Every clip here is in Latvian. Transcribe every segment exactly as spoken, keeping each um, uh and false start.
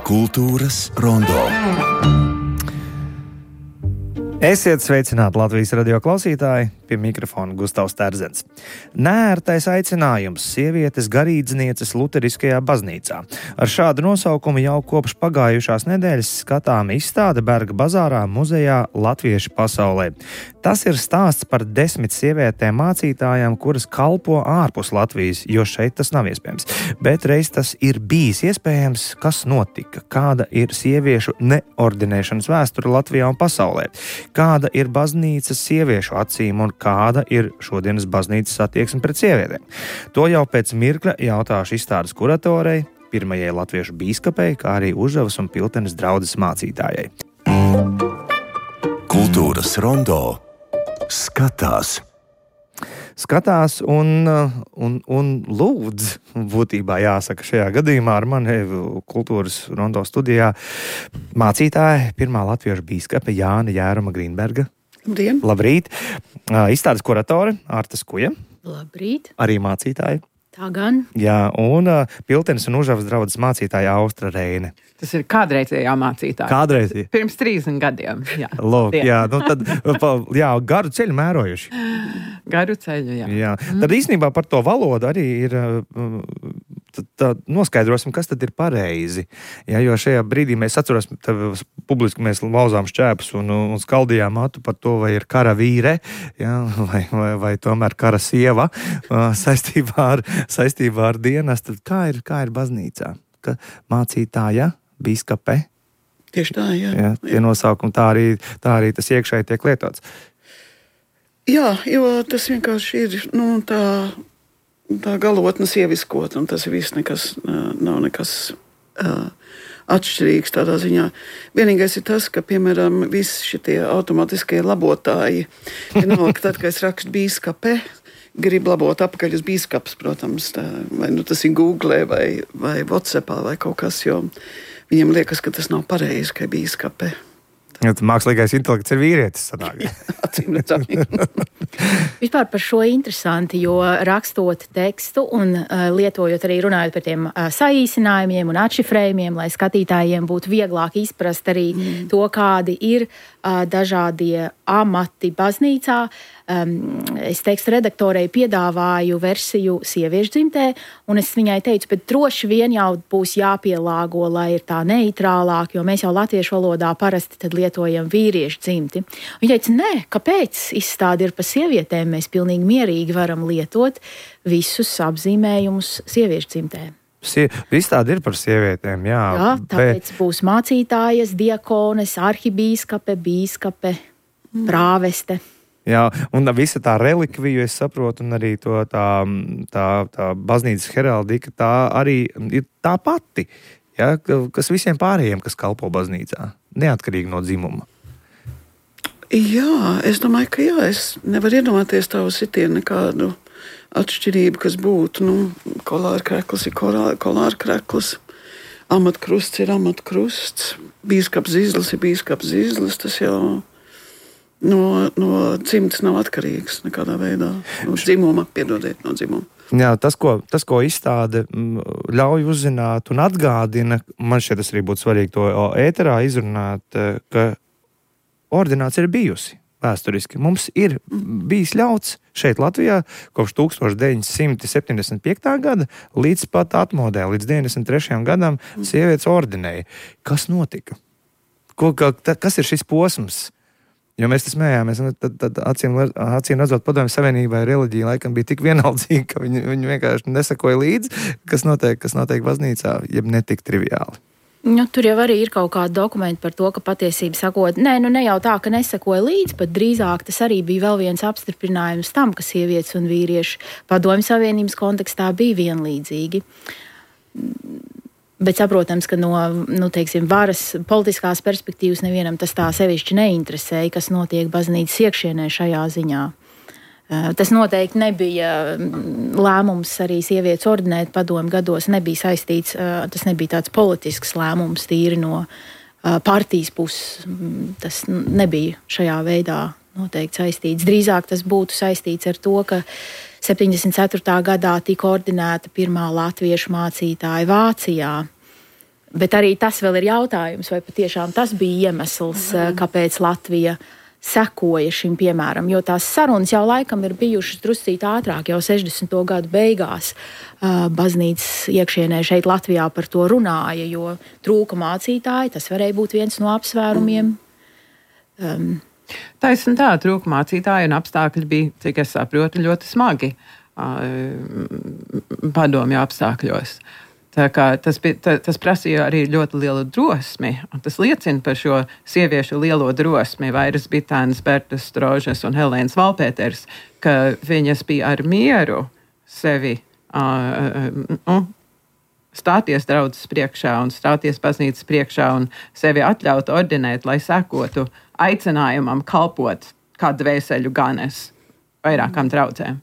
Kultūras rondo. Esiet sveicināti Latvijas radio klausītāji, pie mikrofona Gustavs Terzens. Neērtais aicinājums sievietes garīdznieces luteriskajā baznīcā. Ar šādu nosaukumu jau kopš pagājušās nedēļas skatām izstāde Berga bazārā muzejā Latvieši pasaulē. Tas ir stāsts par desmit sievietēm mācītājām, kuras kalpo ārpus Latvijas, jo šeit tas nav iespējams. Bet reiz tas ir bijis iespējams, kas notika, kāda ir sieviešu neordinēšanas vēsture Latvijā un pasaulē. Kāda ir baznīcas sieviešu acīm un kāda ir šodienas baznīcas attieksme pret sievietēm? To jau pēc mirkļa jautāšu izstādes kuratorei, pirmajai latviešu bīskapei, kā arī Užavas un Piltenes draudzes mācītājai. Kultūras rondo skatās. Skatās un, un, un lūdz, būtībā jāsaka šajā gadījumā ar mani kultūras rondo studijā mācītāja, pirmā latviešu bīskape Jāna Jēruma Grīnberga. Labdien! Labrīt! Izstādes kuratore Arta Skuja. Labrīt! Arī mācītāja. Tā gan. Jā, un uh, Piltenes un Užavas draudzes mācītāja Austra Reine. Tas ir kādreizējā mācītāja. Kādreizējā? Pirms trīsdesmit gadiem. Jā, Lūk, jā, nu tad, jā, garu ceļu mērojuši. Garu ceļu, jā. jā. Tad īstenībā par to valodu arī ir, tad, tad noskaidrosim, kas tad ir pareizi. Jā, jo šajā brīdī mēs atceros, publiski mēs lauzām šķēpus un, un skaldījām matu par to, vai ir kara vīre, jā, vai, vai, vai tomēr kara sieva saistībā ar, saistībā ar dienas. Tad kā ir, kā ir baznīcā? Ka mācītāja, bīskape. Tieši tā, jā. jā tie nosaukumi, tā arī, tā arī tas iekšēji tiek lietots. Jā, jo tas vienkārši ir, nu, tā, tā galotne sieviskot, un tas viss nekas, nav nekas uh, atšķirīgs tādā ziņā. Vienīgais ir tas, ka, piemēram, visi šitie automatiskie labotāji, vienalga, tad, kad es rakstu bīskape, grib labot apakaļ uz bīskaps, protams, tā, vai nu tas ir Google vai, vai WhatsAppā vai kaut kas, jo viņiem liekas, ka tas nav pareizi, ka ir bīskape. Mākslīgais intelekts ir vīrietis, sanāk. Acīm redzami. Vispār par šo interesanti, jo rakstot tekstu un uh, lietojot arī runājot par tiem uh, saīsinājumiem un atšifrējumiem, lai skatītājiem būtu vieglāk izprast arī mm. to, kādi ir uh, dažādie amati baznīcā. Um, es tekstu redaktorei piedāvāju versiju sieviešu dzimtē, un es viņai teicu, bet droši vien jau būs jāpielāgo, lai ir tā neitrālāk, jo mēs jau latviešu valodā parasti tad lietojam vīriešu dzimti. Viņa teica, nē, kāpēc izstāde ir par sievietēm, mēs pilnīgi mierīgi varam lietot visus apzīmējumus sieviešu dzimtē. Sie, izstāde ir par sievietēm, jā. Jā, tāpēc bet... būs mācītājas, diakones, arhibīskape, bīskape, mm. prāveste. Jā, un visa tā relikviju, es saprotu, un arī to tā, tā, tā baznīcas heraldika, tā arī ir tā pati, ja, kas visiem pārējiem, kas kalpo baznīcā, neatkarīgi no dzimuma. Jā, es domāju, ka jā, es nevaru iedomāties tavu sitienu nekādu atšķirību, kas būtu, nu, kolāra krekls ir kolāra krekls, amatkrusts ir amatkrusts, bīskaps Zizlis ir bīskaps Zizlis, tas jau... No, no dzimtas nav atkarīgs nekādā veidā. No dzimuma, piedodiet, no dzimuma. Jā, tas, ko, tas, ko izstāde ļauj uzzināt un atgādina, man šķiet tas arī būtu svarīgi to ēterā izrunāt, ka ordinācija ir bijusi vēsturiski. Mums ir bijis ļauts šeit Latvijā kopš tūkstoš deviņi simti septiņdesmit piektā gada līdz pat atmodē, līdz deviņdesmit trešajam gadam sievietes ordinēja. Kas notika? Ko, ka, kas ir šis posms? Jo mēs tas smējāmies, tad, tad acīm, acīm redzot padomju savienībai reliģija laikam bija tik vienaldzīga, ka viņi, viņi vienkārši nesakoja līdzi, kas notiek, kas notiek baznīcā, jeb netik triviāli. Nu, tur jau arī ir kaut kādi dokumenti par to, ka patiesība sakot, nē, nu ne jau tā, ka nesakoja līdzi, bet drīzāk tas arī bija vēl viens apstiprinājums tam, ka sievietes un vīrieši padomju savienības kontekstā bija vienlīdzīgi. Bet saprotams, ka no nu, teiksim, varas politiskās perspektīvas nevienam tas tā sevišķi neinteresēja, kas notiek baznīcas iekšienē šajā ziņā. Tas noteikti nebija lēmums arī sievietes ordinēt padomu gados, nebija saistīts, tas nebija tāds politisks lēmums tīri no partijas puses. Tas nebija šajā veidā noteikti saistīts. Drīzāk tas būtu saistīts ar to, ka septiņdesmit ceturtajā gadā tika ordinēta pirmā latviešu mācītāja Vācijā. Bet arī tas vēl ir jautājums, vai patiešām tas bija iemesls, kāpēc Latvija sekoja šim piemēram, jo tās sarunas jau laikam ir bijušas druscīt ātrāk, jau sešdesmito gadu beigās baznīcas iekšienē šeit Latvijā par to runāja, jo trūka mācītāji, tas varēja būt viens no apsvērumiem. Um, Taisn tā, trūka mācītāji un apstākļi bija, cik es saprotu, ļoti smagi padomju apstākļos. Tā kā tas, bija, tas prasīja arī ļoti lielu drosmi, un tas liecina par šo sieviešu lielo drosmi, Vairas Bitānas, Bertas Strožas un Helēnas Valpēters, ka viņas bija ar mieru sevi uh, uh, stāties draudzes priekšā un stāties baznīcas priekšā un sevi atļaut ordinēt, lai sekotu aicinājumam kalpot kā dvēseļu ganes vairākām draudzēm.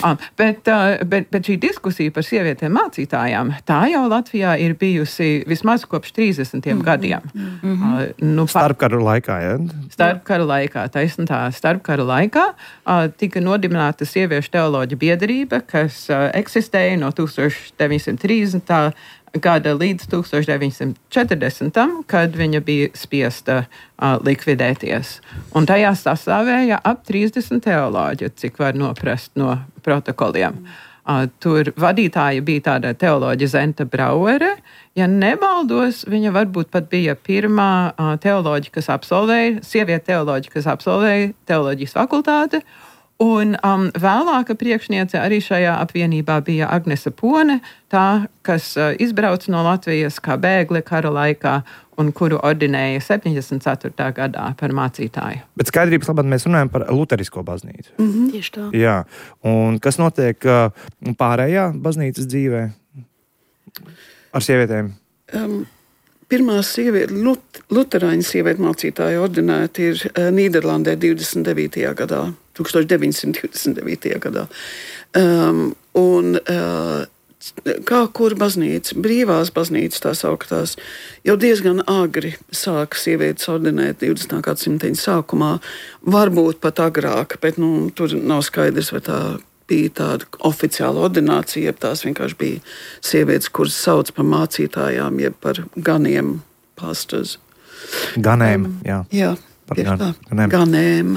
Ah, bet, bet, bet šī diskusija par sievietēm mācītājām, tā jau Latvijā ir bijusi vismaz kopš trīsdesmitiem gadiem. Mm-hmm. Uh, nu, starpkaru laikā, ja? Starpkaru laikā, taisn tā, starpkaru laikā uh, tika nodibināta sieviešu teoloģa biedrība, kas uh, eksistēja no tūkstoš deviņsimt trīsdesmitā gada līdz tūkstoš deviņsimt četrdesmitam, kad viņa bija spiesta uh, likvidēties. Un tajā sastāvēja ap trīsdesmit teoloģi, cik var noprast no protokoliem. Uh, tur vadītāja bija tāda teoloģa Zenta Brauere. Ja nemaldos, viņa varbūt pat bija pirmā uh, teoloģa, kas absolvēja, sieviete teoloģa, kas absolvēja teoloģijas fakultāti. Un um, vēlāka priekšniece arī šajā apvienībā bija Agnese Pone, tā, kas uh, izbrauca no Latvijas kā bēgle kara laikā un kuru ordinēja septiņdesmit ceturtajā gadā par mācītāju. Bet skaidrības labāk mēs runājam par luterisko baznīcu. Mm-hmm. Tieši tā. Jā, un kas notiek uh, pārējā baznīcas dzīvē ar sievietēm? Um. Pirmā sieviete, lut, luterāņu sieviete mācītāja ordinēta ir uh, Nīderlandē divdesmit devītajā gadā, tūkstoš deviņsimt divdesmit devītajā gadā. Um, un uh, kā kur baznīca, brīvās baznīcas tā sauktās, jau diezgan agri sāka sievietes ordinēt divdesmitā gadsimta sākumā, varbūt pat agrāk, bet nu, tur nav skaidrs, vai tā bija tāda oficiāla ordinācija, jeb tās vienkārši bija sievietes, kuras sauc par mācītājām, jeb par ganiem pastors. Ganēm, um, jā. Jā, tieši tā, ganēm. ganēm.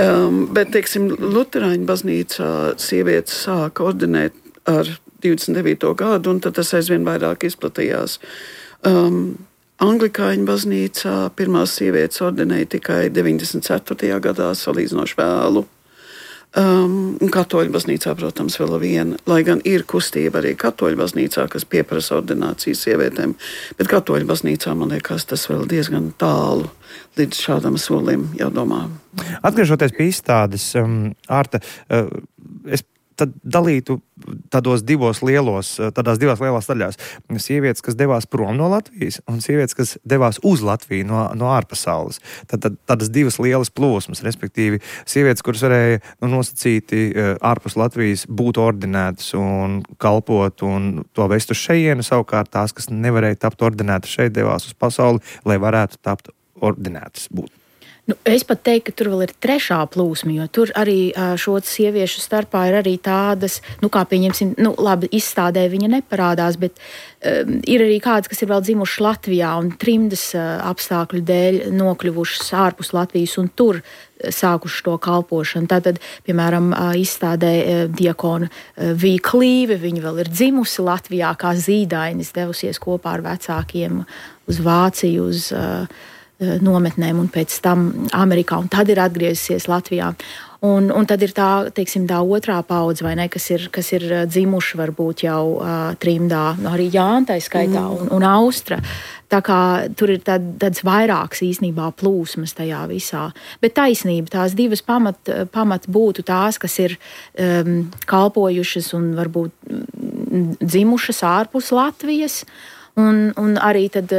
um, bet, teiksim, luterāņu baznīcā sievietes sāka ordinēt ar divdesmit devīto gadu, un tad tas aizvien vairāk izplatījās. Um, Anglikāņu baznīcā pirmās sievietes ordinēja tikai deviņdesmit ceturtajā gadā, salīdzinoši vēlu. Um, katoļu baznīcā, protams, vēl viena, lai gan ir kustība arī katoļu baznīcā, kas pieprasa ordināciju sievietēm, bet katoļu baznīcā, man liekas, tas vēl diezgan tālu līdz šādam solim jādomā. Atgriežoties pie izstādes, um, Ārta, uh, es tad dalītu tādos divos lielos, tādās divās lielās daļās. Sievietes, kas devās prom no Latvijas, un sievietes, kas devās uz Latviju no, no ārpasaules. Tad, tad tādas divas lielas plūsmas, respektīvi sievietes, kuras varēja nu, nosacīti ārpus Latvijas būt ordinētas un kalpot un to vest uz šejienu, savukārt tās, kas nevarēja tapt ordinētas šeit, devās uz pasauli, lai varētu tapt ordinētas būt. Nu, es pat teiktu, ka tur vēl ir trešā plūsma, jo tur arī šo sieviešu starpā ir arī tādas, nu kā pieņemsim, nu labi, izstādē viņa neparādās, bet um, ir arī kādas, kas ir vēl dzimušas Latvijā un trimdas uh, apstākļu dēļ nokļuvušas ārpus Latvijas un tur sākuši to kalpošanu. Tātad, piemēram, izstādē diakona Vija Klīve, viņa vēl ir dzimusi Latvijā kā zīdainis, devusies kopā ar vecākiem uz Vāciju, uz uh, nometnēm un pēc tam Amerikā, un tad ir atgriezusies Latvijā. Un, un tad ir tā, teiksim, tā otrā paudze, vai ne, kas ir, kas ir dzimuši varbūt jau uh, trimdā, arī Jāntai skaitā un, un Austra. Tā kā tur ir tād, tāds vairāks īstenībā plūsmas tajā visā. Bet taisnība, tās divas pamat, pamat būtu tās, kas ir um, kalpojušas un varbūt dzimušas ārpus Latvijas. Un, un arī tad,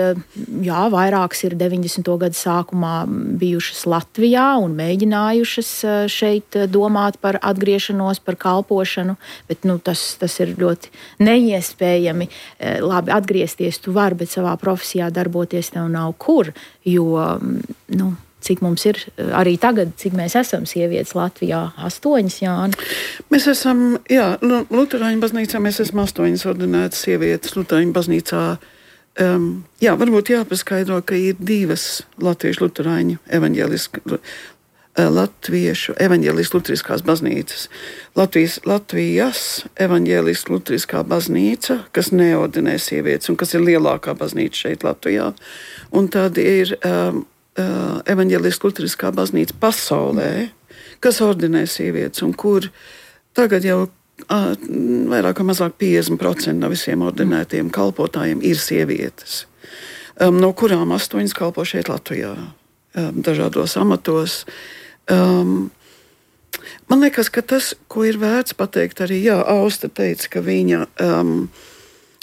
jā, vairākas ir deviņdesmito gadu sākumā bijušas Latvijā un mēģinājušas šeit domāt par atgriešanos, par kalpošanu, bet nu, tas, tas ir ļoti neiespējami. Labi, atgriezties tu vari, bet savā profesijā darboties tev nav kur, jo, nu, cik mums ir arī tagad, cik mēs esam sievietes Latvijā? Astoņas, Jāni? Mēs esam, jā, nu, Luterāņu baznīcā mēs esam astoņas ordinētas sievietes. Luterāņu baznīcā, um, jā, varbūt jāpaskaidro, ka ir divas latviešu luterāņu evaņģeliski, latviešu evaņģeliski luteriskās baznīcas. Latvijas, Latvijas evaņģeliski luteriskā baznīca, kas neordinē sievietes un kas ir lielākā baznīca šeit Latvijā. Un tad ir um, Uh, evaņģeliski luteriskā baznīca pasaulē, kas ordinē sievietes, un kur tagad jau uh, vairāk vai mazāk piecdesmit procenti no visiem ordinētiem kalpotājiem ir sievietes, um, no kurām astoņas kalpo šeit Latvijā, um, dažādos amatos. Um, man liekas, ka tas, ko ir vērts pateikt, arī jā, Austa teica, ka viņa um,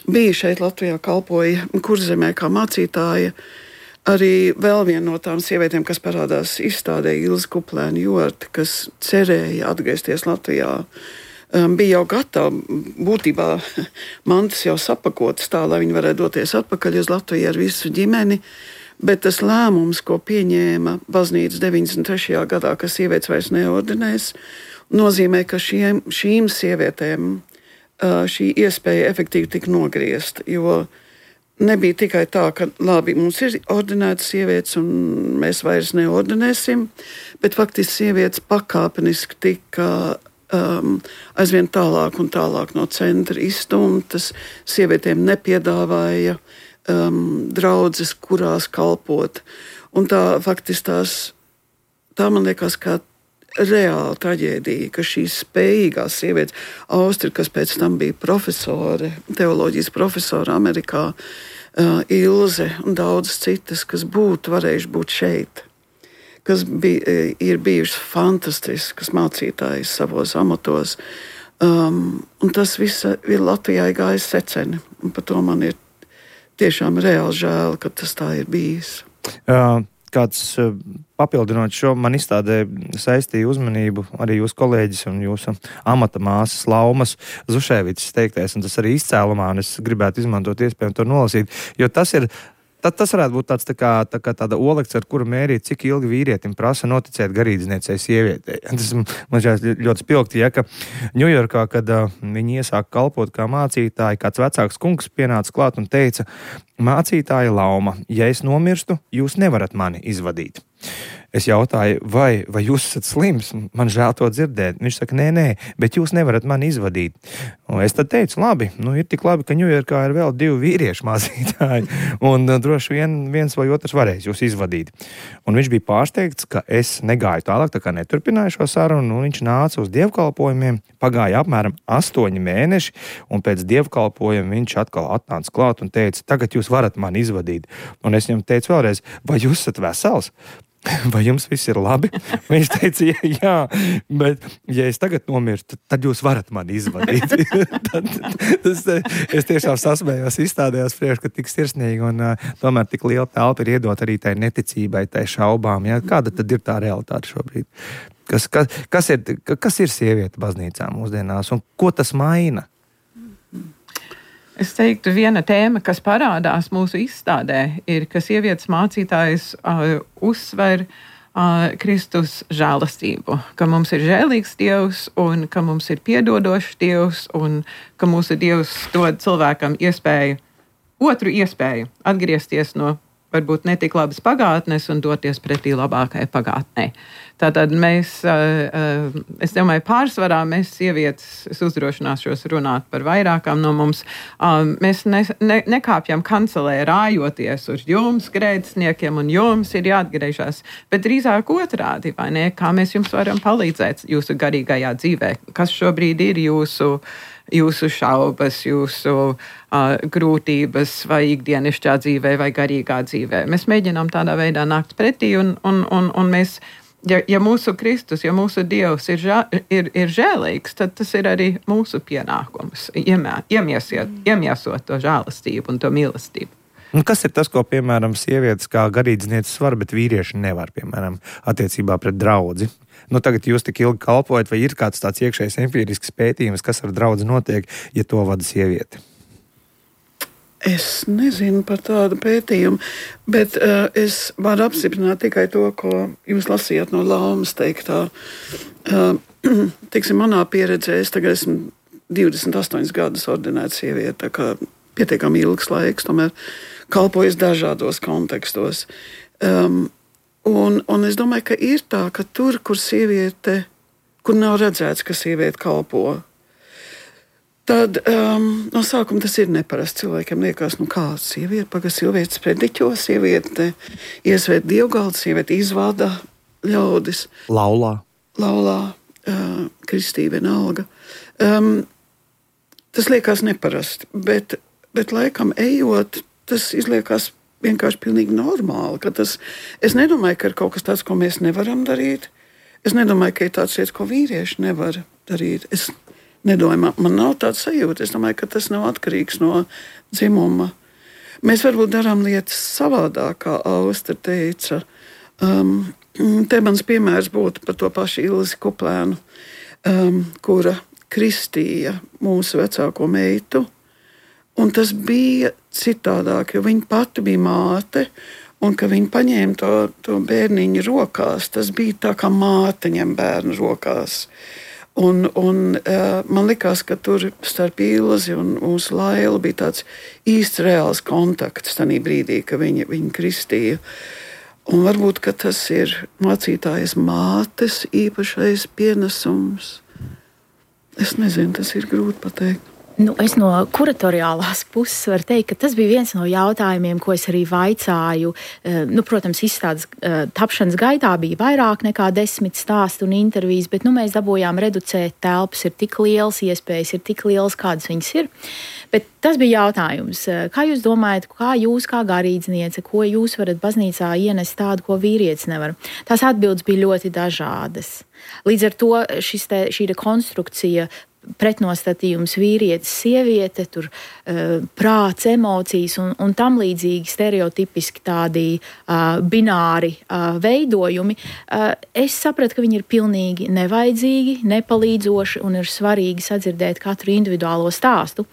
bija šeit Latvijā, kalpoja Kurzemē kā mācītāja. Arī vēl viena no tām sievietēm, kas parādās izstādē, Ilze Kuplēna Jorte, kas cerēja atgriezties Latvijā, um, bija jau gatava, būtībā mantas jau sapakotas tā, lai viņi varētu doties atpakaļ uz Latviju ar visu ģimeni, bet tas lēmums, ko pieņēma baznīca deviņdesmit trešajā gadā, ka sievietes vairs neordinēs, nozīmē, ka šiem, šīm sievietēm uh, šī iespēja efektīvi tika nogriezta, jo nebija tikai tā, ka labi, mums ir ordinētas sievietes un mēs vairs neordinēsim, bet faktiski sievietes pakāpeniski tika um, aizvien tālāk un tālāk no centra izstumtas. Sievietēm nepiedāvāja um, draudzes, kurās kalpot. Un tā faktiski tās, tā man liekas, kā reāla traģēdija, ka šīs spējīgās sievietes, Austri, kas pēc tam bija profesore, teoloģijas profesora Amerikā, uh, Ilze un daudzas citas, kas būtu varējuši būt šeit, kas bija, ir bijušas fantastiskas mācītājas savos amatos. Um, un tas viss ir Latvijai gājis seceni. Un par to man ir tiešām reāli žēl, ka tas tā ir bijis. Uh. Kāds papildinot šo, man izstādē saistīja uzmanību arī jūsu kolēģis un jūsu amata māsas Laumas Zušēvičs teiktais, un tas arī izcēlumā, un es gribētu izmantot iespēju to nolasīt, jo tas ir, tad tas varētu būt tāds tā kā, tā kā tāda olekts, ar kuru mērīt, cik ilgi vīrietim prasa noticēt garīdzniecei sievietei. Tas man šķiet ļoti spilgti, ja, ka Ņujorkā, kad uh, viņi iesāka kalpot kā mācītāji, kāds vecāks kungs pienāca klāt un teica: mācītāja Lauma, ja es nomirstu, jūs nevarat mani izvadīt. Es jautāju, vai, vai jūs esat slims? Man žēl to dzirdēt. Viņš saka, nē, nē, bet jūs nevarat mani izvadīt. Un es tad teicu, labi, nu ir tik labi, ka Ņujorkā ir vēl divi vīriešu mācītāji, un uh, droši vien viens vai otrs varēs jūs izvadīt. Un viņš bija pārsteigts, ka es negāju tālāk, tā kā neturpināju šo sarunu, un viņš nāca uz dievkalpojumiem, pagāja apmēram astoņi mēneši, un pēc dievkalpojuma viņš atkal atnāca klāt un teica, tagad jūs varat mani izvadīt. Un es viņam teicu vēlreiz, vai jūs esat vesels? Vai jums viss ir labi? Viņš teica, jā, bet ja es tagad nomirstu, tad jūs varat mani izvadīt. tad, tas, es tiešām sasmējos, izstādējos priekš, ka tik sirsnīgi un uh, tomēr tik liela telpa ir iedot arī tai neticībai, tai šaubām. Ja? Kāda tad ir tā realitāte šobrīd? Kas, kas, kas, ir, kas ir sieviete baznīcā mūsdienās un ko tas maina? Es teiktu, viena tēma, kas parādās mūsu izstādē, ir, ka sievietes mācītājs uh, uzsver uh, Kristus žēlastību, ka mums ir žēlīgs Dievs un ka mums ir piedodošs Dievs un ka mūsu Dievs dod cilvēkam iespēju, otru iespēju atgriezties no varbūt netik labas pagātnes un doties pretī labākai pagātnei. Tātad mēs, es domāju, pārsvarā mēs sievietes, es uzdrošināšos runāt par vairākām no mums, mēs ne, ne, nekāpjam kancelē rājoties uz jums, grēcniekiem, un jums ir jāatgriežas, bet drīzāk otrādi, vai ne? Kā mēs jums varam palīdzēt jūsu garīgajā dzīvē? Kas šobrīd ir jūsu jūsu šaubas, jūsu uh, grūtības vai ikdienišķā dzīvē vai garīgā dzīvē. Mēs mēģinām tādā veidā nākt pretī un, un, un, un mēs ja, ja mūsu Kristus, ja mūsu Dievs ir, žā, ir, ir žēlīgs, tad tas ir arī mūsu pienākums iemē, iemiesiet, iemiesot to žēlastību un to mīlestību. Un kas ir tas, ko, piemēram, sievietes kā garīdznieces var, bet vīrieši nevar, piemēram, attiecībā pret draudzi? Nu, tagad jūs tik ilgi kalpojat, vai ir kāds tāds iekšējs empirisks pētījums, kas ar draudzi notiek, ja to vada sieviete? Es nezinu par tādu pētījumu, bet uh, es varu apstiprināt tikai to, ko jūs lasījāt no Laumas teiktā. Uh, tiksim, manā pieredzē, es tagad esmu divdesmit astoņus gadus ordinēta sieviete, tā kā pietiekami ilgs laiks, tomēr kalpojas dažādos kontekstos. Um, un, un es domāju, ka ir tā, ka tur, kur sieviete, kur nav redzēts, ka sieviete kalpo, tad um, no sākuma tas ir neparasts. Cilvēkiem liekas, nu kā sieviete, paga sieviete sprediķo, sieviete iesvēt dievgaldu, sieviete izvada ļaudis. Laulā. Laulā, uh, kristība vienalga. Um, tas liekas neparasti, bet, bet laikam ejot, tas izliekas vienkārši pilnīgi normāli. Ka tas, es nedomāju, ka ir kaut kas tāds, ko mēs nevaram darīt. Es nedomāju, ka ir tāds lietas, ko vīrieši nevar darīt. Es nedomāju, man, man nav tāds sajūta. Es domāju, ka tas nav atkarīgs no dzimuma. Mēs varbūt darām lietas savādāk, kā Austra teica. Um, te mans piemērs būtu par to pašu Ilzi Kuplēnu, um, kura kristīja mūsu vecāko meitu. Un tas bija citādāk, jo viņa pati bija māte, un ka viņa paņēma to, to bērniņu rokās, tas bija tā kā māte ņem bērnu rokās. Un, un uh, man likās, ka tur starp Ilzi un mūsu Lailu bija tāds īsts reāls kontakts tajā brīdī, ka viņa, viņa kristīja. Un varbūt, ka tas ir mācītājas mātes īpašais pienesums. Es nezinu, tas ir grūti pateikt. Nu, es no kuratoriālās puses varu teikt, ka tas bija viens no jautājumiem, ko es arī vaicāju. Nu, protams, izstādes tapšanas gaitā bija vairāk nekā desmit stāstu un intervijas, bet nu, mēs dabūjām reducēt telpas, ir tik liels, iespējas ir tik liels, kādas viņas ir. Bet tas bija jautājums. Kā jūs domājat, kā jūs kā garīdzniece, ko jūs varat baznīcā ienest tādu, ko vīrietis nevar? Tās atbildes bija ļoti dažādas. Līdz ar to šis te, šī konstrukcija, pretnostatījums vīrietis, sieviete, tur, uh, prāts, emocijas un, un tam līdzīgi stereotipiski tādi uh, bināri uh, veidojumi. Uh, es sapratu, ka viņi ir pilnīgi nevajadzīgi, nepalīdzoši un ir svarīgi sadzirdēt katru individuālo stāstu.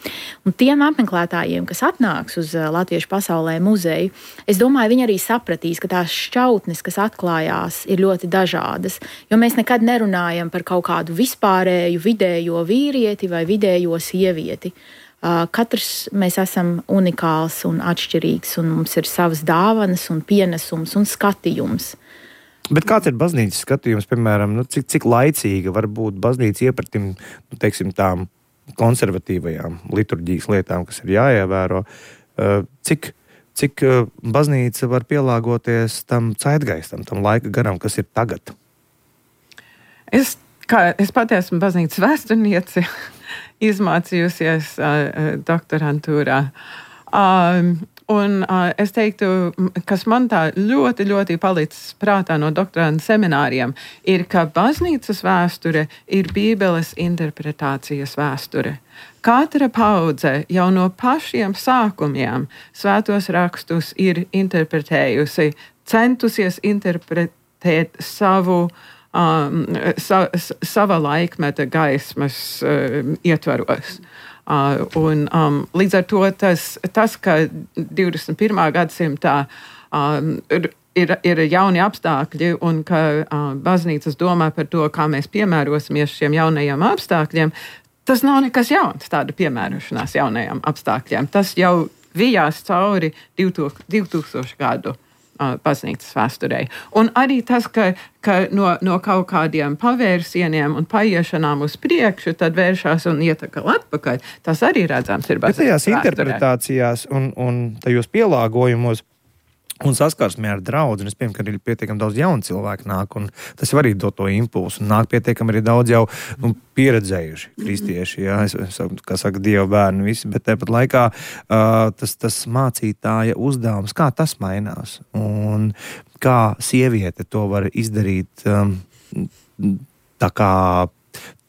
Un tiem apmeklētājiem, kas atnāks uz uh, Latviešu pasaulē muzeju, es domāju, viņi arī sapratīs, ka tās šķautnes, kas atklājās, ir ļoti dažādas, jo mēs nekad nerunājam par kaut kādu vispārēju, vidējo vīrieti, vīrieti vai vidējo sievieti. Uh, katrs mēs esam unikāls un atšķirīgs, un mums ir savas dāvanas un pienesums un skatījums. Bet kāds ir baznīcas skatījums, piemēram, nu, cik, cik laicīga var būt baznīca iepratim, nu, teiksim, tām konservatīvajām liturģijas lietām, kas ir jāievēro? Uh, cik, cik uh, baznīca var pielāgoties tam zeitgeistam, tam laika garam, kas ir tagad? Es Kā es pati esmu baznīcas vēsturniece, izmācījusies uh, doktorantūrā. Um, un uh, es teiktu, kas man tā ļoti, ļoti palicis prātā no doktoranta semināriem, ir, ka baznīcas vēsture ir Bībeles interpretācijas vēsture. Katra paudze jau no pašiem sākumiem svētos rakstus ir interpretējusi, centusies interpretēt savu Um, sa, sava laikmeta gaismas uh, ietvaros. Uh, un, um, līdz ar to tas, tas ka divdesmit pirmā gadsimtā um, ir, ir jauni apstākļi un ka uh, baznīcas domā par to, kā mēs piemērosimies šiem jaunajiem apstākļiem, tas nav nekas jauns, tāda piemērošanās jaunajiem apstākļiem. Tas jau vijās cauri divtūkstošu gadu baznīcas vēsturei. Un arī tas, ka, ka no, no kaut kādiem pavērsieniem un paiešanām uz priekšu, tad vēršās un iet atkal atpakaļ, tas arī redzams ir baznīcas vēsturē. Bet tajās interpretācijās un, un tajos pielāgojumos un saskarsmē ar draudzi, un es pieņemu, ka arī pietiekami daudz jaunu cilvēku nāk, un tas jau arī dod to impulsu, un nāk pietiekami arī daudz jau nu, pieredzējuši kristieši, jā, es, es, kā saka, Dieva bērni visi, bet tāpat laikā uh, tas, tas mācītāja uzdevums, kā tas mainās, un kā sieviete to var izdarīt um, tā kā,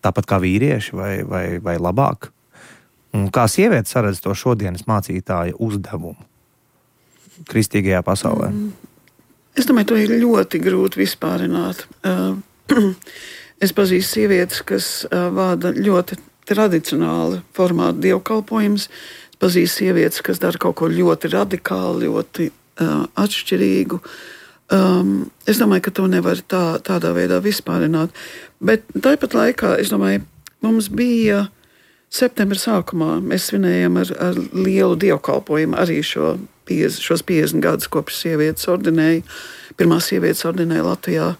tāpat kā vīrieši vai, vai, vai labāk, un kā sieviete saredz to šodienas mācītāja uzdevumu kristīgajā pasaulē? Es domāju, to ir ļoti grūti vispārināt. Es pazīstu sievietes, kas vada ļoti tradicionāli formātu dievkalpojumus. Es pazīstu sievietes, kas dara kaut ko ļoti radikāli, ļoti uh, atšķirīgu. Um, es domāju, ka to nevar tā, tādā veidā vispārināt. Bet tāpat laikā, es domāju, mums bija septembra sākumā, mēs svinējam ar, ar lielu dievkalpojumu arī šo šos piecdesmit gadus kopš sievietes ordinēja, pirmās sievietes ordinēja Latvijā.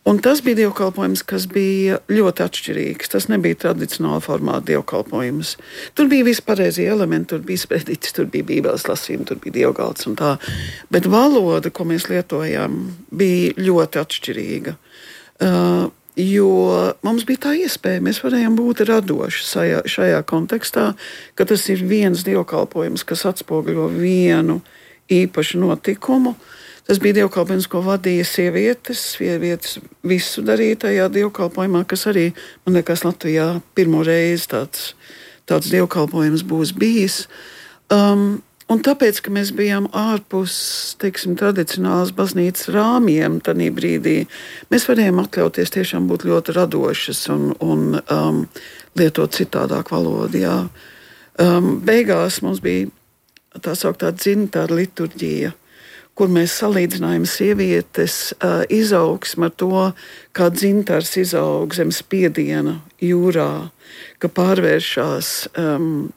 Un tas bija dievkalpojums, kas bija ļoti atšķirīgs. Tas nebija tradicionāla formāta dievkalpojums. Tur bija visi pareizie elementi, tur bija sprediķis, tur bija bībeles lasījumi, tur bija dievgalds un tā. Bet valoda, ko mēs lietojām, bija ļoti atšķirīga. Uh, jo mums bija tā iespēja, mēs varējām būt radoši šajā, šajā kontekstā, ka tas ir viens dievkalpojums, kas atspoguļo vienu īpašu notikumu. Tas bija dievkalpojums, ko vadīja sievietes, sievietes visu darīja tajā dievkalpojumā, kas arī, man liekas, Latvijā pirmo reizi tāds, tāds dievkalpojums būs bijis. Um, Un tāpēc, ka mēs bijām ārpus, teiksim, tradicionālas baznīcas rāmjiem tajā brīdī, mēs varējām atļauties tiešām būt ļoti radošas un, un um, lietot citādāk valodu. Jā. Um, beigās mums bija tā sauktā dzintāra liturģija, kur mēs salīdzinājām sievietes uh, izaugsmu ar to, kā dzintars izaug zem spiediena jūrā, ka pārvēršās um,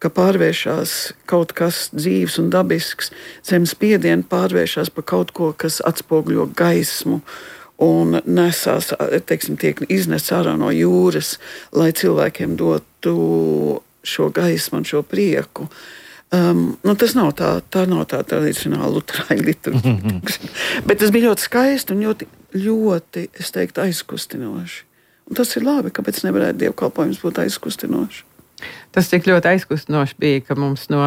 ka pārvēršās kaut kas dzīves un dabisks, zem spiediena pārvēršās par kaut ko, kas atspoguļo gaismu un nesās, teiksim, tiek iznests ārā no jūras, lai cilvēkiem dotu šo gaismu un šo prieku. Um, nu, tas nav tā, tā nav tā tradicionāla luterāņu liturģija. Bet tas bija ļoti skaisti un ļoti, ļoti, es teiktu, aizkustinoši. Un tas ir labi, kāpēc nevarētu dievkalpojums būt aizkustinoši. Tas tik ļoti aizkustinoši bija, ka mums, no,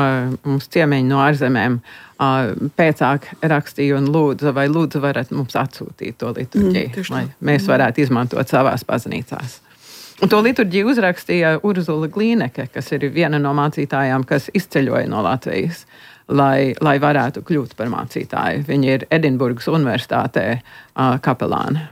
mums ciemiņi no ārzemēm uh, pēcāk rakstīja un lūdza, vai lūdzu varat mums atsūtīt to liturģiju, mm, lai mēs varētu izmantot savās baznīcās. Un to liturģiju uzrakstīja Urzula Glīneke, kas ir viena no mācītājām, kas izceļoja no Latvijas, lai, lai varētu kļūt par mācītāju. Viņa ir Edinburgas universitātē uh, kapelāne.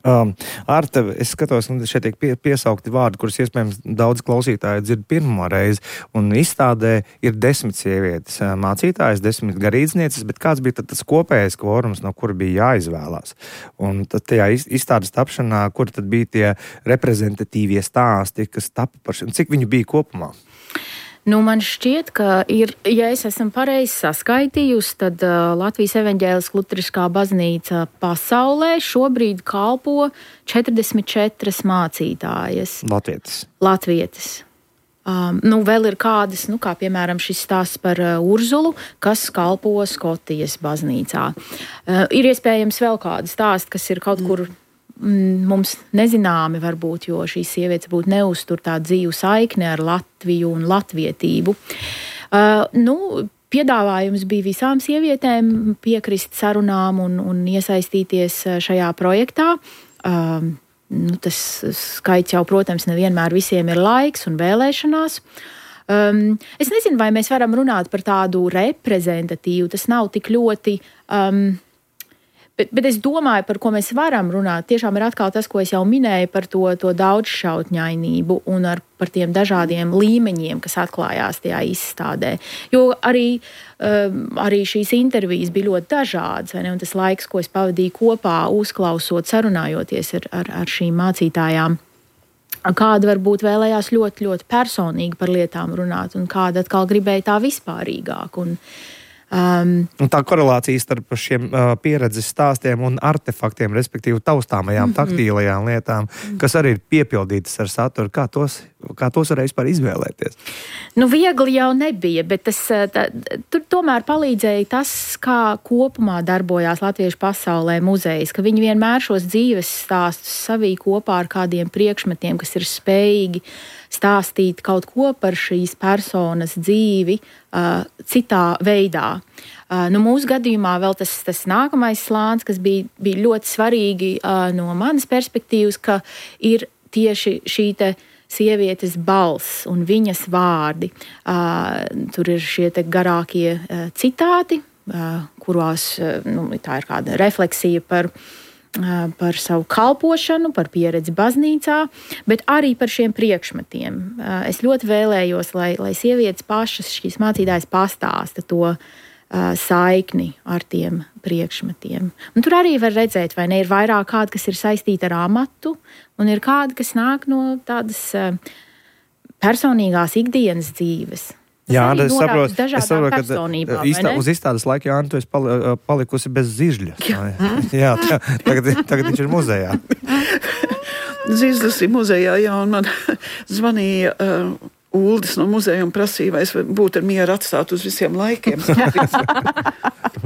Um, Arte, es skatos, un šeit tiek pie, piesaukti vārdi, kurus iespējams daudz klausītāji dzird pirmo reizi, un izstādē ir desmit sievietes mācītājas, desmit garīdznieces, bet kāds bija tad tas kopējais kvorums, no kura bija jāizvēlās? Un tad tajā izstādes tapšanā, kur tad bija tie reprezentatīvie stāsti, kas tapa par šim, cik viņu bija kopumā? Nu, man šķiet, ka ir, ja es esmu pareizi saskaitījusi, tad uh, Latvijas evaņģēliskā luteriskā baznīca pasaulē šobrīd kalpo četrdesmit četras mācītājas. Latvietis. Latvietis. Um, nu, vēl ir kādas, nu, kā piemēram šis stāsts par uh, Urzulu, kas kalpo Skotijas baznīcā. Uh, ir iespējams vēl kādi stāsti, kas ir kaut kur mums nezināmi varbūt, jo šīs sievietes būtu neuztur tā dzīvu saikni ar Latviju un latvietību. Uh, nu, piedāvājums bija visām sievietēm piekrist sarunām un, un iesaistīties šajā projektā. Uh, nu, tas skaits jau, protams, nevienmēr visiem ir laiks un vēlēšanās. Um, es nezinu, vai mēs varam runāt par tādu reprezentatīvu, tas nav tik ļoti... Um, Bet, bet es domāju, par ko mēs varam runāt, tiešām ir atkal tas, ko es jau minēju par to, to daudzšķautņainību un ar, par tiem dažādiem līmeņiem, kas atklājās tajā izstādē. Jo arī, um, arī šīs intervijas bija ļoti dažādas, vai ne? Un tas laiks, ko es pavadīju kopā, uzklausot, sarunājoties ar, ar, ar šīm mācītājām, kāda varbūt vēlējās ļoti, ļoti personīgi par lietām runāt, un kāda atkal gribēja tā vispārīgāk. Un, Um, un tā korelācija starp šiem uh, pieredzes stāstiem un artefaktiem, respektīvi taustāmajām, mm-hmm. taktīlajām lietām, kas arī ir piepildītas ar saturu, kā tos kā tos varēja vispār izvēlēties? Nu, viegli jau nebija, bet tas, tā, tur tomēr palīdzēja tas, kā kopumā darbojās latviešu pasaulē muzejs, ka viņi vienmēr šos dzīves stāstus savī kopā ar kādiem priekšmetiem, kas ir spējīgi stāstīt kaut ko par šīs personas dzīvi uh, citā veidā. Uh, nu, mūsu gadījumā vēl tas, tas nākamais slānis, kas bija, bija ļoti svarīgi uh, no manas perspektīvas, ka ir tieši šī te sievietes balss un viņas vārdi. Uh, tur ir šie te garākie uh, citāti, uh, kurās uh, nu, tā ir kāda refleksija par par savu kalpošanu, par pieredzi baznīcā, bet arī par šiem priekšmetiem. Es ļoti vēlējos, lai, lai sievietes pašas šīs mācītājas pastāsta to uh, saikni ar tiem priekšmetiem. Un tur arī var redzēt, vai ne, ir vairāk kādi, kas ir saistīti ar amatu, un ir kādi, kas nāk no tādas uh, personīgās ikdienas dzīves. Jā, es saprotu, es saprotu, ka īstā, uz izstādes laika, Jāni, tu esi pali, palikusi bez zižļa. Jā, jā tā, tagad, tagad viņš ir muzejā. Zizlis ir muzejā, jā, un man zvanīja uh, Uldis no muzeja un prasīja, vai es būtu ar mieru atstāt uz visiem laikiem.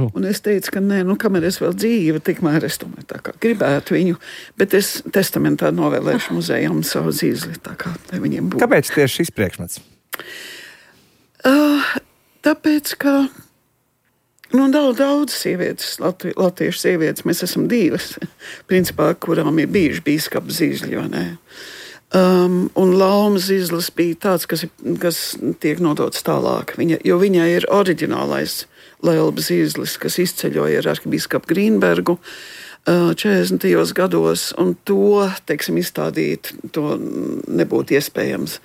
Un es teicu, ka nē, nu, kamēr es vēl dzīva, tikmēr es tomēr tā kā gribētu viņu, bet es testamentā novēlēšu muzejam savu Zizli, tā kā, lai viņiem būtu. Kāpēc tieši šis priekšmets? Uh, tāpēc, ka nu, daudz, daudz sievietes, Latvi, latviešu sievietes, mēs esam divas, principā, kurām ir bijuši bīskapa Zizļi, vai ne? Um, un Lauma Zizlis bija tāds, kas, ir, kas tiek nodots tālāk, viņa, jo viņai ir oriģinālais Lelba Zizlis, kas izceļoja ar arhibīskapu Grīnbergu uh, četrdesmitajos gados, un to, teiksim, izstādīt, to nebūtu iespējams.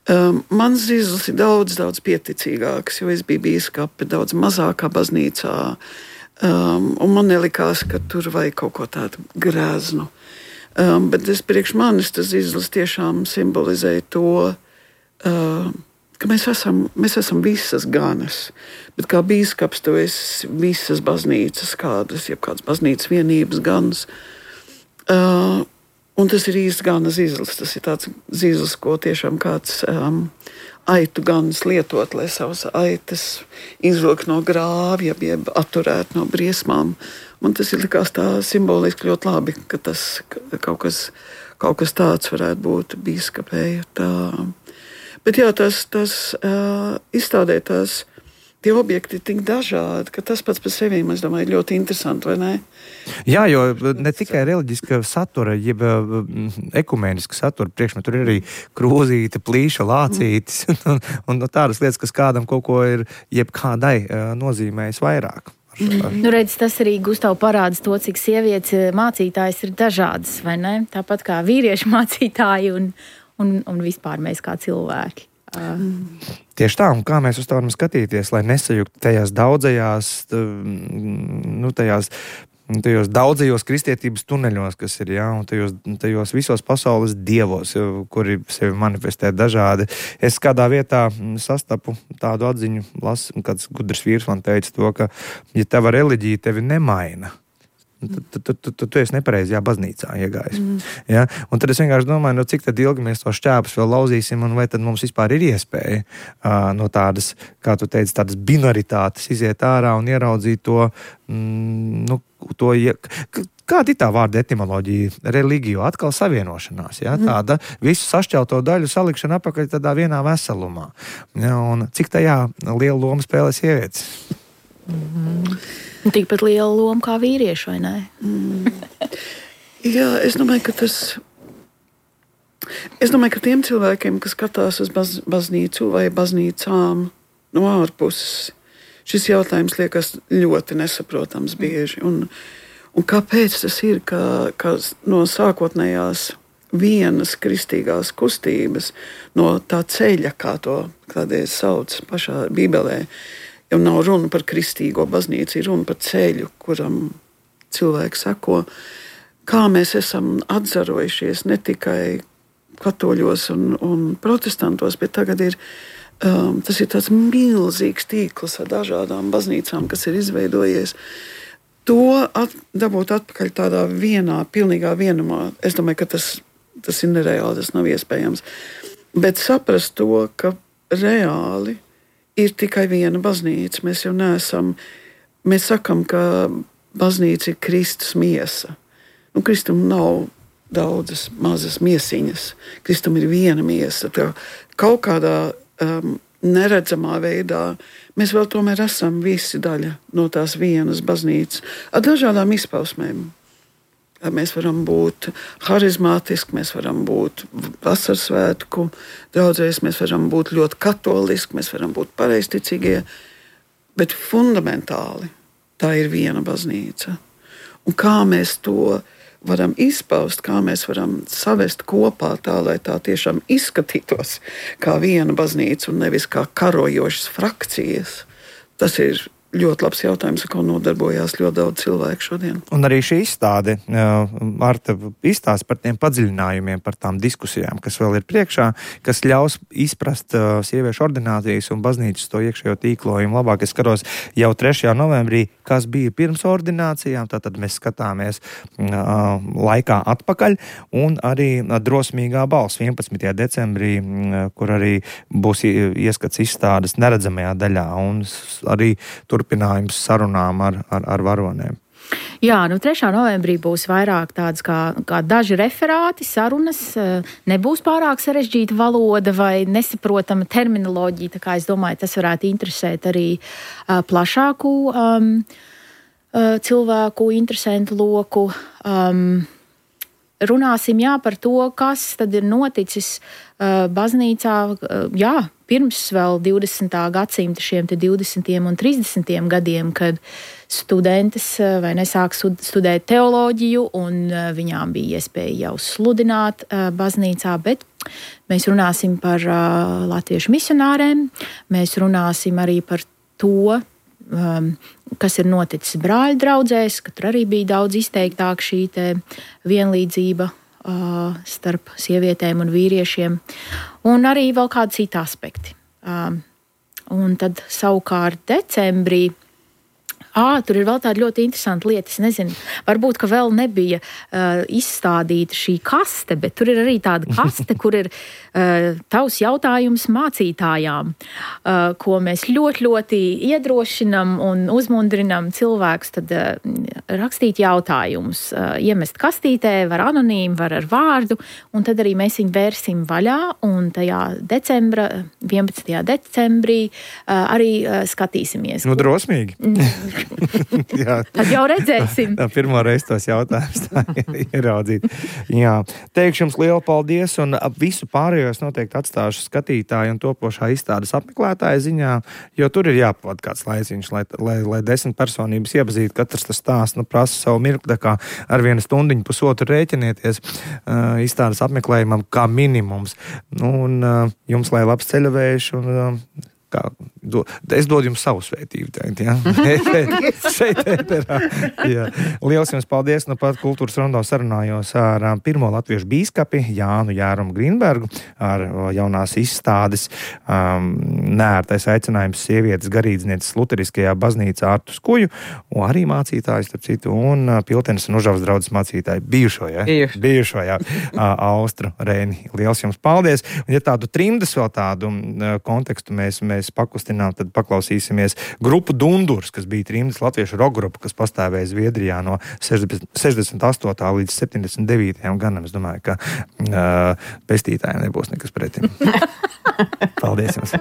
Um, mans Zizlis ir daudz, daudz pieticīgāks, jo es biju bīskape daudz mazākā baznīcā, um, un man nelikās, ka tur vajag kaut ko tādu grēznu. Um, bet es priekš manis tas Zizlis tiešām simbolizēja to, uh, ka mēs esam, mēs esam visas ganas, bet kā bīskaps tu esi visas baznīcas kādas, jeb kādas baznīcas vienības ganas. Uh, Un tas ir īsti gana Zizlis. Tas ir tāds Zizlis, ko tiešām kāds um, aitu ganas lietot, lai savas aitas izvilkt no grāvja, jeb atturēt no briesmām. Man tas ir likās tā simboliski ļoti labi, ka tas ka kaut, kas, kaut kas tāds varētu būt bīskapēja. Tā. Bet jā, tas, tas uh, izstādē tās tie objekti ir tik dažādi, ka tas pats par sevi, es domāju, ļoti interesanti, vai ne? Jā, jo ne tikai reliģiska satura, jeb ekumēniska satura priekšmet, tur ir arī krūzīte, plīša, lācītis un, un tādas lietas, kas kādam kaut ko ir, jeb kādai nozīmējis vairāk. Nu, redz, tas arī, Gustav, parādas to, cik sievietes mācītājas ir dažādas, vai ne? Tāpat kā vīriešu mācītāji un, un, un vispār mēs kā cilvēki. Mm. Tieši tā, un kā mēs uz to varam skatīties, lai nesajuktu tajās daudzajās, nu, tajās, tajos daudzajos kristietības tuneļos, kas ir, jā, un tajos, tajos visos pasaules dievos, kuri sevi manifestē dažādi. Es kādā vietā sastapu tādu atziņu, lasu, kāds gudrs vīrs man teica to, ka, ja tava reliģija tevi nemaina, Tu, tu, tu, tu, tu esi nepareizajā baznīcā iegājis. Mm. Ja? Un tad es vienkārši domāju, no cik tad ilgi mēs to šķēpus vēl lauzīsim, un vai tad mums vispār ir iespēja uh, no tādas, kā tu teici, tādas binaritātes iziet ārā un ieraudzīt to, mm, nu, to kāda ir tā vārda etimoloģija? Religio, atkal savienošanās, ja? Tāda visu sašķelto daļu salikšana apakaļ tādā vienā veselumā. Ja? Un cik tajā lielu lomu spēlē sievietes? Mm-hmm. Tikpat liela loma kā vīrieši, vai ne? Mm. Jā, es domāju, ka tas... Es domāju, ka tiem cilvēkiem, kas skatās uz baz, baznīcu vai baznīcām no ārpuses, šis jautājums liekas ļoti nesaprotams bieži. Un, un kāpēc tas ir, ka, ka no sākotnējās vienas kristīgās kustības, no tā ceļa, kā to kādreiz sauc pašā Bībelē, jau nav runa par kristīgo baznīcu, ir runa par ceļu, kuram cilvēki sako, kā mēs esam atzarojušies ne tikai katoļos un, un protestantos, bet tagad ir, um, tas ir tāds milzīgs tīkls ar dažādām baznīcām, kas ir izveidojies. To at, dabūt atpakaļ tādā vienā, pilnīgā vienumā, es domāju, ka tas, tas ir nereāli, tas nav iespējams. Bet saprast to, ka reāli ir tikai viena baznīca. Mēs jau neesam, mēs sakam, ka baznīca ir Kristus miesa. Nu, Kristum nav daudzas mazas miesiņas. Kristum ir viena miesa. Tā kaut kādā um, neredzamā veidā mēs vēl tomēr esam visi daļa no tās vienas baznīcas ar dažādām izpausmēm. Mēs varam būt harizmātiski, mēs varam būt vasaras svētku draudzēs, mēs varam būt ļoti katoliski, mēs varam būt pareizticīgie, bet fundamentāli tā ir viena baznīca. Un kā mēs to varam izpaust, kā mēs varam savest kopā tā, lai tā tiešām izskatītos kā viena baznīca un nevis kā karojošas frakcijas, tas ir ļoti labs jautājums, ar ko nodarbojās ļoti daudz cilvēku šodien. Un arī šī izstāde, Marta, izstāsta par tiem padziļinājumiem, par tām diskusijām, kas vēl ir priekšā, kas ļaus izprast uh, sieviešu ordinācijas un baznīcas to iekšējo tīklojumu labāk. Es skatos jau trešajā novembrī, kas bija pirms ordinācijām, tātad mēs skatāmies uh, laikā atpakaļ, un arī uh, drosmīgā balss vienpadsmitajā decembrī, uh, kur arī būs ieskats izstādes neredzamajā daļā, un arī turpinājums sarunām ar, ar, ar varonēm. Jā, nu trešā novembrī būs vairāk tāds kā, kā daži referāti, sarunas, nebūs pārāk sarežģīta valoda vai nesaprotama terminoloģija, tā kā es domāju, tas varētu interesēt arī uh, plašāku um, uh, cilvēku, interesantu loku. Um, runāsim, jā, par to, kas tad ir noticis uh, baznīcā, uh, jā, pirms vēl divdesmitā gadsimta šiem te divdesmitiem un trīsdesmitiem gadiem, kad studentes vai nesāk studēt teoloģiju un viņām bija iespēja jau sludināt baznīcā, bet mēs runāsim par latviešu misionāriem, mēs runāsim arī par to, kas ir noticis brāļu draudzēs, ka tur arī bija daudz izteiktāk šī te vienlīdzība starp sievietēm un vīriešiem, un arī vēl kādi citi aspekti. Un tad savukārt decembrī, ā, tur ir vēl tāda ļoti interesanta lieta, es nezinu, varbūt, ka vēl nebija uh, izstādīta šī kaste, bet tur ir arī tāda kaste, kur ir uh, tavs jautājums mācītājām, uh, ko mēs ļoti, ļoti iedrošinam un uzmundrinam cilvēkus tad uh, rakstīt jautājumus, uh, iemest kastītē, var anonīmi, var ar vārdu, un tad arī mēs viņu vērsim vaļā, un tajā decembra, vienpadsmitajā decembrī uh, arī uh, skatīsimies. Nu, drosmīgi. Jā. Tad jau redzēsim. Tā pirmo reizi tos jautājumus tā ieraudzīt. Jā. Teikšu jums lielu paldies, un visu pārējos noteikti atstāšu skatītāju un topošā izstādes apmeklētāja ziņā, jo tur ir jāpavada kāds laiciņš, lai, lai, lai desmit personības iepazītu, katrs tas stāsts, nu, prasa savu mirkli, kā ar vienu stundiņu pusotru rēķinieties uh, izstādes apmeklējumam kā minimums. Nu, un uh, jums lai labs ceļavējš, un uh, Kā, do, es dodu jums savu svētību teikt, jā. Šeit ēterā. Jā. Liels jums paldies, nu pat Kultūras rondo sarunājos ar um, pirmo latviešu bīskapi Jānu Jārumu Grīnbergu, ar uh, jaunās izstādes um, neērtais aicinājums sievietes garīdznieces luteriskajā baznīcā Artu Skuju, un arī mācītājs, starp citu, un uh, Piltenes un Užavas draudzes mācītāji bijušo, jā? Bijuši. Bijušo, jā, uh, Austru Rēni. Liels jums paldies. Un ja tādu trimdas vēl tādu uh, kontekstu mēs, mēs mēs pakustinām, tad paklausīsimies grupu Dundurs, kas bija trimdas latviešu rock grupa, kas pastāvēja Zviedrijā no sešdesmit astotā līdz septiņdesmit devītajam gadam. Es domāju, ka uh, pestītājiem nebūs nekas pretim. Paldies jums!